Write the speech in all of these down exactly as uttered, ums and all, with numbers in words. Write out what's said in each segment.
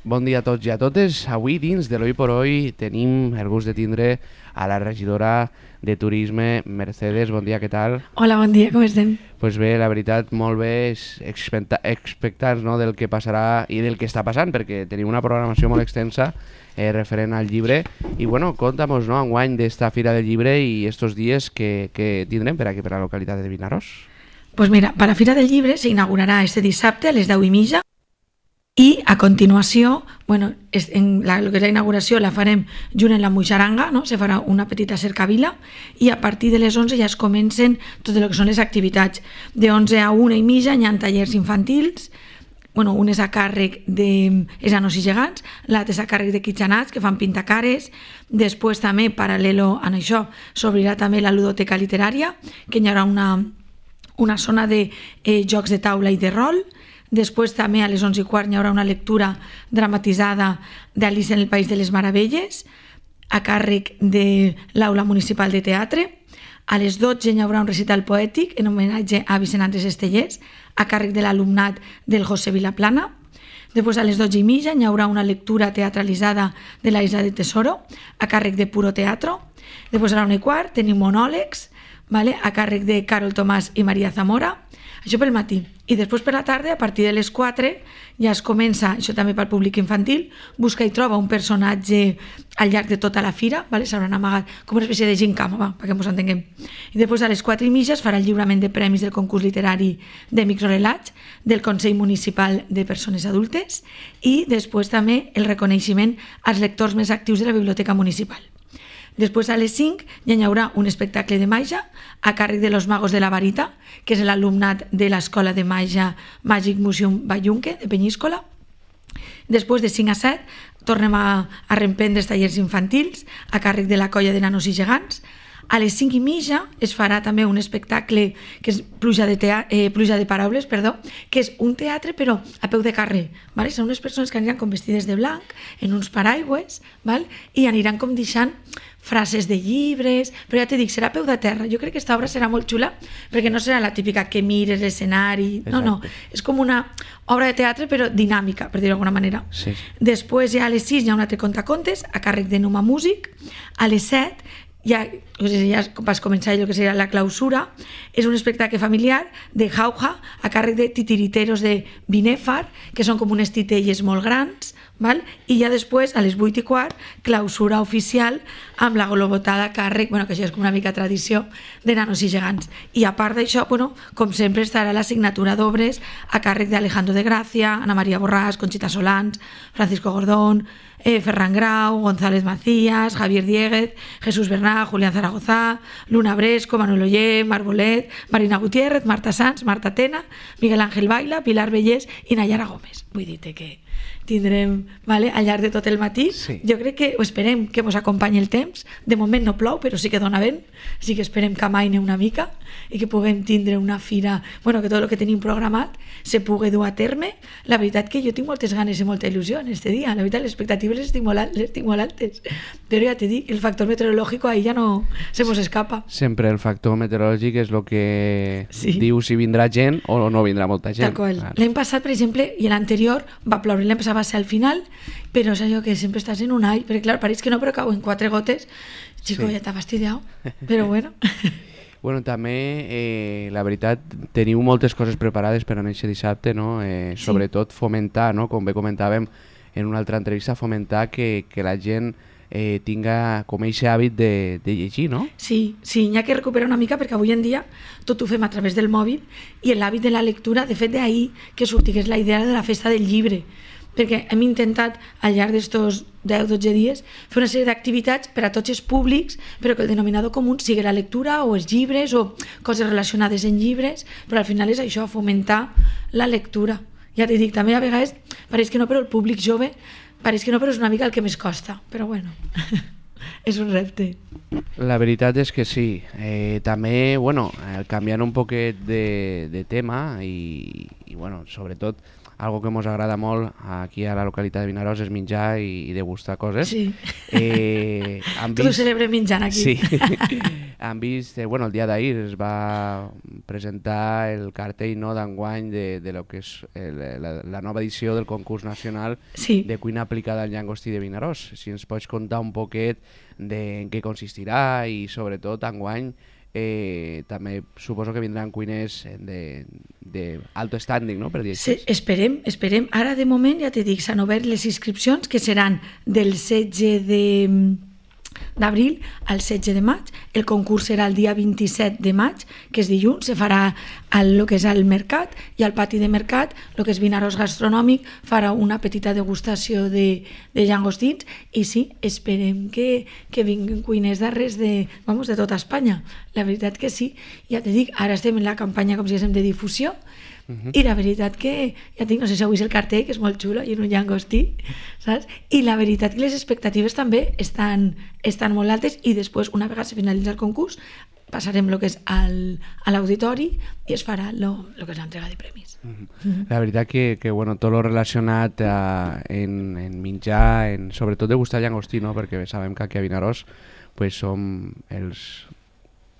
Bon dia a tots i a totes. Avui dins de l'Hoy por Hoy tenim el gust de tindre a la regidora de Turisme, Mercedes. Bon dia, què tal? Hola, bon dia, com estem? Pues bé, la veritat, molt bé, expectants, no, del que passarà i del que està passant, perquè tenim una programació molt extensa eh, referent al llibre. I bueno, conta'm-nos, no, enguany d'esta Fira del Llibre i estos dies que, que tindrem per aquí, per la localitat de Vinaròs. Pues mira, per la Fira del Llibre s'inaugurarà este dissabte a les deu i mitja. I a continuació, bueno, en la, lo que és la inauguració la farem junt en la Muixaranga, no? Se farà una petita cercavila i a partir de les onze ja es comencen tot el que són les activitats. De onze a una i mitja hi ha tallers infantils, bueno, un és a càrrec de enanos i gegants, l'altre és a càrrec de kitxanats que fan pintacares. Després també, paral·lelo a això, s'obrirà també la ludoteca literària, que hi haurà una, una zona de eh, jocs de taula i de rol. Després també a les onze i quart hi haurà una lectura dramatitzada d'Alice en el País de les Meravelles a càrrec de l'Aula Municipal de Teatre. A les dotze hi haurà un recital poètic en homenatge a Vicent Andrés Estellés a càrrec de l'alumnat del José Vilaplana. Després a les dotze i mitja hi haurà una lectura teatralitzada de la Isla de Tesoro a càrrec de Puro Teatro. Després a la una i quart tenim monòlegs, vale? A càrrec de Carol Tomàs i Maria Zamora. Això pel matí. I després per la tarda, a partir de les quatre, ja es comença, això també pel públic infantil, busca i troba un personatge al llarg de tota la fira, vale? S'hauran amagat com una espècie de gincama, va, perquè ens entenguem. I després a les quatre i mitja es farà el lliurament de premis del concurs literari de microrelats del Consell Municipal de Persones Adultes i després també el reconeixement als lectors més actius de la Biblioteca Municipal. Després a les cinc ja hi haurà un espectacle de màgia a càrrec de los magos de la varita, que és l'alumnat de l'Escola de Màgia Magic Museum Ballunque de Penyíscola. Després de cinc a set tornem a, a reemprendre els tallers infantils a càrrec de la colla de nanos i gegants. A les cinc i mitja es farà també un espectacle que és Pluja de, tea- eh, Pluja de Paraules, perdó, que és un teatre però a peu de carrer. ¿Vale? Són unes persones que aniran com vestides de blanc en uns paraigües, ¿vale? I aniran com deixant frases de llibres, però ja t'he dit, serà a peu de terra. Jo crec que aquesta obra serà molt xula perquè no serà la típica que mires l'escenari, no, no, és com una obra de teatre però dinàmica, per dir-ho d'alguna manera. Sí. Després ja a les sis hi ha un altre contacontes a càrrec de Numa Músic. A les set ja, o sigui, ja vas començar el que seria la clausura. És un espectacle familiar de jauja a càrrec de titiriteros de Binèfar, que són com unes titelles molt grans, val? I ja després, a les vuit i quart, clausura oficial amb la globotada a càrrec, bueno, que això és com una mica tradició, de nanos i gegants. I a part d'això, bueno, com sempre estarà la signatura d'obres a càrrec d'Alejandro de Gracia, Ana María Borràs, Conchita Solans, Francisco Gordón, eh, Ferran Grau, González Macías, Javier Dieguez, Jesús Bernat, Julián Zaragoza, Luna Bresco, Manuel Oller, Marbolet, Marina Gutiérrez, Marta Sanz, Marta Tena, Miguel Ángel Baila, Pilar Bellés i Nayara Gómez. Vull dir-te que tindrem, vale, al llarg de tot el matí. Sí. Jo crec que o esperem que ens acompanyi el temps. De moment no plou, però sí que dona vent. Sí que esperem que amaine una mica i que puguem tindre una fira, bueno, que tot el que tenim programat se pugui dur a terme. La veritat que jo tinc moltes ganes i molta il·lusió en este dia. La veritat, les expectatives les tinc molt, les tinc molt altes. Però ja t'he dit, el factor meteorològic ahí ja no se mos escapa. Sempre el factor meteorològic és el que sí. diu si vindrà gent o no vindrà molta gent. Tal qual. Clar. L'any passat, per exemple, i l'anterior va ploure, l'any passat va ser al final, però és allò que sempre estàs en un all, perquè clar, pareix que no, però cau en quatre gotes. Chico, sí. Ja t'ha fastidiat, però bueno. Bueno, també, eh, la veritat, teniu moltes coses preparades per a aquest dissabte, no? Eh, sí. Sobretot fomentar, no? Com bé comentàvem en una altra entrevista, fomentar que, que la gent eh, tinga com aquest hàbit de, de llegir, no? Sí, sí, n'hi ha que recuperar una mica perquè avui en dia tot ho fem a través del mòbil i l'hàbit de la lectura, de fet d'ahir que sortigués la idea de la festa del llibre, perquè hem intentat al llarg d'estos deu a dotze dies fer una sèrie d'activitats per a tots els públics, però que el denominador comú sigui la lectura o els llibres o coses relacionades en llibres, però al final és això, fomentar la lectura. Ja t'he dit, també a vegades pareix que no, però el públic jove pareix que no, però és una mica el que més costa, però bueno, és un repte. La veritat és que sí. Eh, també, bueno, eh, canviant un poquet de, de tema i, i bueno, sobretot algo que ens agrada molt aquí a la localitat de Vinaròs és menjar i, i degustar coses. Sí. Eh, Tot ho celebrem menjant aquí. Sí. han vist, eh, bueno, el dia d'ahir es va presentar el cartell, no, d'enguany de, de lo que és el, la, la nova edició del concurs nacional Sí. de cuina aplicada al llangostí de Vinaròs. Si ens pots contar un poquet de en què consistirà i sobretot enguany eh, també suposo que vindran cuiners de, de alto standing, no? Per dir Sí, així. esperem, esperem. Ara, de moment, ja t'he dit, s'han obert les inscripcions, que seran del setze d'abril al setze de maig. El concurs serà el dia vint-i-set de maig, que és dilluns, se farà al lo que és al mercat, i al pati de mercat, el que és Vinaròs Gastronòmic, farà una petita degustació de, de llangostins, i sí, esperem que, que vinguin cuiners d'arrels de, vamos, de tota Espanya. La veritat que sí. Ja t'he dit, ara estem en la campanya, com si diguéssim, de difusió, Uh-huh. I la veritat que, ja tinc, no sé si heu vist el cartell, que és molt xulo, i en un llangostí, saps? I la veritat que les expectatives també estan, estan molt altes, i després, una vegada se finalitza el concurs, passarem el que és al, a l'auditori i es farà lo, lo que és l'entrega de premis. Uh-huh. Uh-huh. La veritat que, que bueno, tot lo relacionat a, en, en menjar, en, sobretot de gustar llangostí, no? Perquè sabem que aquí a Vinaròs pues, som els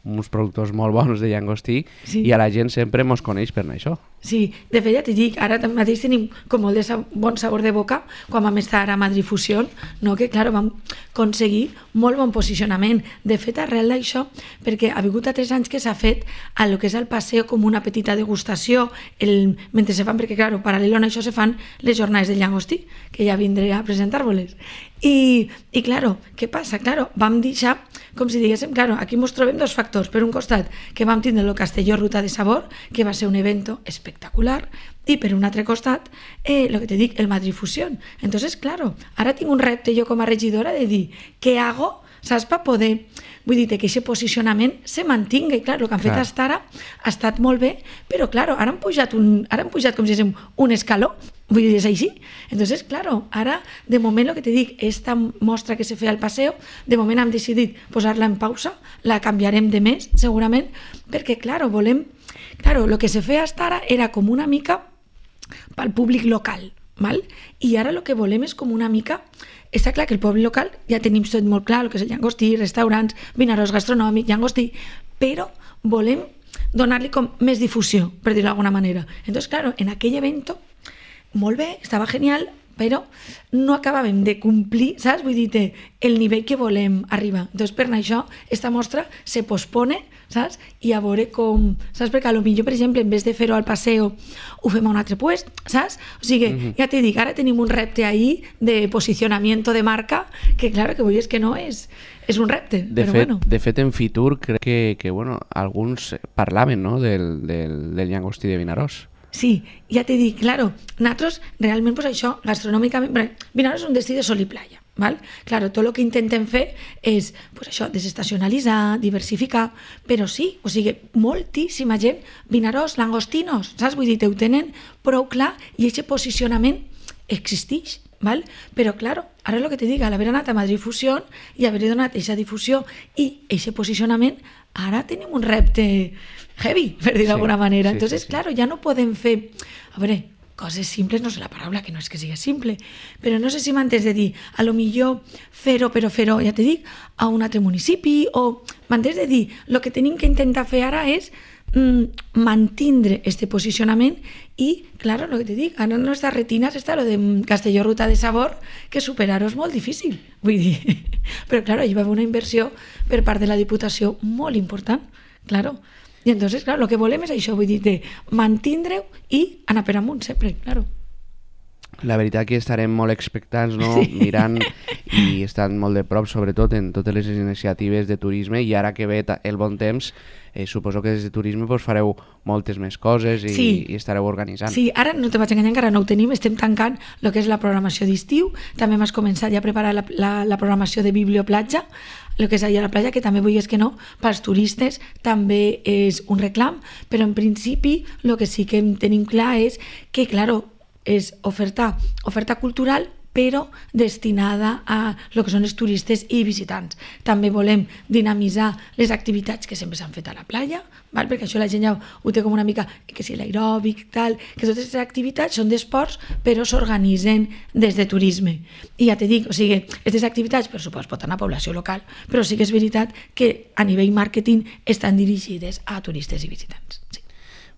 uns productors molt bons de llangostí, sí. I a la gent sempre mos coneix per això. Sí, de fet ja t'hi dic, ara mateix tenim com molt de sab bon sabor de boca quan vam estar a Madrid Fusió, no? Que clar, vam aconseguir molt bon posicionament. De fet, arrel d'això, perquè ha vingut a tres anys que s'ha fet a lo que és el passeig com una petita degustació, el, mentre se fan, perquè clar, paral·lel a això se fan les jornades del llangostí, que ja vindré a presentar-vos-les. I, i claro, què passa? Claro, vam deixar, com si diguéssim, claro, aquí ens trobem dos factors. Per un costat, que vam tindre el Castelló Ruta de Sabor, que va ser un evento espectacular, i per un altre costat, eh, lo que te dic, el Madrid Fusió. Entonces, claro, ara tinc un repte jo com a regidora de dir, què hago, saps, per poder... Vull dir que aquest posicionament se mantinga, i clar, el que han fet fins ara ha estat molt bé, però clar, ara han pujat, un, ara han pujat com si diguéssim, un escaló, vull dir, és així. Entonces, claro, ara, de moment, el que te dic, esta mostra que se feia al passeig, de moment hem decidit posar-la en pausa, la canviarem de mes, segurament, perquè, claro, volem... Claro, el que se feia fins ara era com una mica pel públic local, val? I ara el que volem és com una mica... Està clar que el poble local ja tenim tot molt clar, el que és el llangostí, restaurants, Vinaròs Gastronòmic, llangostí, però volem donar-li com més difusió, per dir-ho d'alguna manera. Entonces, claro, en aquell evento, molt bé, estava genial, però no acabàvem de complir, saps? Vull dir, el nivell que volem arribar. Entonces, per això, esta mostra se pospone, saps? I a veure com... Saps? Perquè potser, per exemple, en vez de fer-ho al passeig, ho fem a un altre puest, saps? O sigui, uh-huh. Ja t'he dit, ara tenim un repte ahí de posicionamiento de marca, que claro, que vull dir que no és... És un repte, de però fet, bueno. De fet, en Fitur crec que, que bueno, alguns parlaven, no?, del, del, del llangostí de Vinaròs. Sí, ja t'he dit, claro, nosaltres realment pues això, gastronòmicament, Vinaròs és un destí de sol i playa, val? Claro, tot el que intentem fer és pues això, desestacionalitzar, diversificar, però sí, o sigui, moltíssima gent, Vinaròs, langostinos, saps? Vull dir, ho tenen prou clar i aquest posicionament existeix, val? Però claro, ara el que te dic, al haver anat a Madrid Fusió i haver donat aquesta difusió i aquest posicionament, ara tenim un repte heavy, per dir d'alguna sí, manera. Sí, Entonces, sí, sí. Claro, ja no podem fer... A veure, coses simples no sé la paraula, que no és que sigui simple, però no sé si m'entens de dir, a lo millor fer-ho, però fer-ho, ja te dic, a un altre municipi, o m'entens de dir, el que tenim que intentar fer ara és mm, mantindre este posicionament i, claro, el que te dic, ara en nostres retines està lo de Castelló Ruta de Sabor, que superar-ho és molt difícil, vull dir. Però, claro, hi va haver una inversió per part de la Diputació molt important, claro. I entonces, claro, el que volem és això, vull dir, de mantindre-ho i anar per amunt sempre, claro. La veritat que estarem molt expectants, no? Sí. Mirant i estan molt de prop, sobretot en totes les iniciatives de turisme, i ara que ve el bon temps, eh, suposo que des de turisme pues, fareu moltes més coses i, sí. i estareu organitzant. Sí, ara no te vaig enganyar, encara no ho tenim, estem tancant el que és la programació d'estiu, també m'has començat ja a preparar la, la, la programació de Biblioplatja, el que és allà a la platja, que també vull és que no, pels turistes també és un reclam, però en principi el que sí que tenim clar és que, claro, és oferta, oferta cultural, però destinada a el que són els turistes i visitants. També volem dinamitzar les activitats que sempre s'han fet a la platja, val? Perquè això la gent ja ho té com una mica, que si l'aeròbic, tal, que totes aquestes activitats són d'esports, però s'organitzen des de turisme. I ja te dic, o sigui, aquestes activitats, per supost, pot anar a població local, però sí que és veritat que a nivell màrqueting estan dirigides a turistes i visitants. Sí.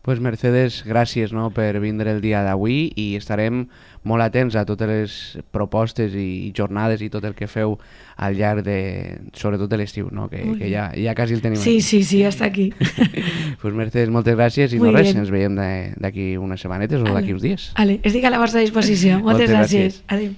Pues Mercedes, gràcies, no, per vindre el dia d'avui i estarem molt atents a totes les propostes i jornades i tot el que feu al llarg de, sobretot de l'estiu, no? que, que ja, ja quasi el tenim. Sí, aquí. sí, sí, hasta aquí. Pues Mercedes, moltes gràcies i Muy no res, bien. ens veiem d'aquí unes setmanetes o d'aquí uns dies. Vale, estic a la vostra disposició. Moltes, Moltes gràcies. gràcies. Adéu.